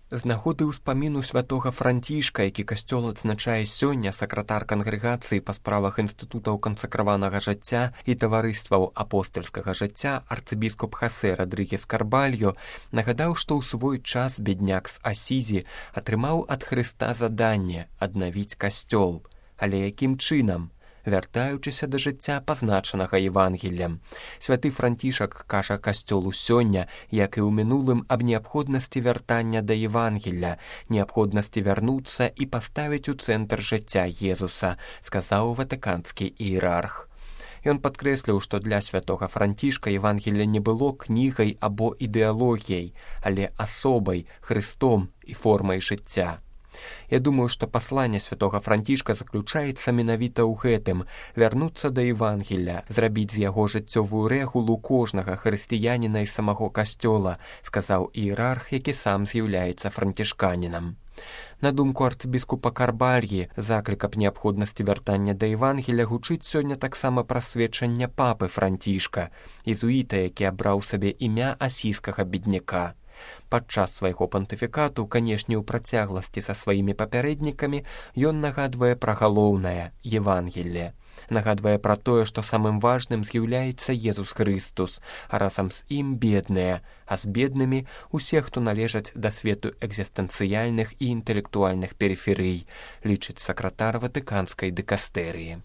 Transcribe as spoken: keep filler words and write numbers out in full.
З нагоды ўспаміну святога Францішка, які касцёл адзначае сёння, сакратар кангрэгацыі па справах інстытутаў кансакраванага жыцця і таварыстваў апостальскага жыцця арцыбіскуп Хосе Родрыгес Карбальо нагадаў, што ў свой час бедняк з Асізі атрымаў ад Хрыста заданне аднавіць касцёл. Але якім чынам? Вяртаючыся да жыцця, пазначанага Евангеллем. Святы Францішак кажа касцёлу сёння, як і ў мінулым, аб неабходнасці вяртання да Евангелля, неабходнасці вярнуцца і паставіць у цэнтр жыцця Езуса, сказаў ватыканскі іерарх. Ён падкрэсліў, што для святога Францішка Евангелле не было кнігай або ідэалогіяй, але асобай, Христом і формай жыцця. Я думаю, што пасланне святога Францішка заключаецца менавіта ў гэтым – вярнуцца да Евангелля, зрабіць з яго жыццёвую рэгулу кожнага хрысціяніна і самого касцёла, сказаў іерарх, які сам з'яўляецца францішканінам. На думку арцыбіскупа Карбальі, заклік аб неабходнасці вяртання да Евангелля гучыць сёння таксама праз сведчанне папы Францішка, езуіта, які абраў сабе імя асійскага бедняка. Падчас свайго пантыфікату, канешне, у працягласці са сваімі папярэднікамі, ён нагадвае пра галоўнае – Евангелле. Нагадвае пра тое, што самым важным з'яўляецца Езус Хрыстус, а разам з ім бедныя, а з беднымі усе, хто належаць да свету экзістэнцыяльных і інтэлектуальных перыферый, лічыць сакратар ватыканскай дыкастэрыі.